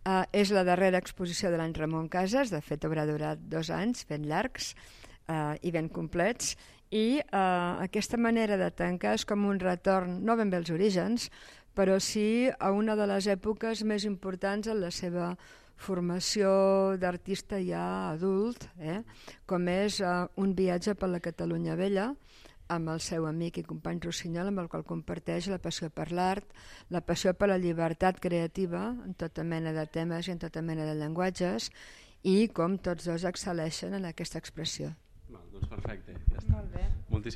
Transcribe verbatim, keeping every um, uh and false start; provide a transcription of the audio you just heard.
Uh, és la darrera exposició de l'any Ramon Casas, de fet haurà durat dos anys ben llargs uh, i ben complets, i uh, aquesta manera de tancar és com un retorn, no ben bé als orígens, però sí a una de les èpoques més importants en la seva formació d'artista ja adult, eh? Com és uh, un viatge per la Catalunya Vella, amb el seu amic i company Rossinyol, amb el qual comparteix la passió per l'art, la passió per la llibertat creativa, en tota mena de temes i en tota mena de llenguatges, i com tots dos excel·leixen en aquesta expressió. Val, doncs perfecte, ja està. Molt bé. Moltíssimes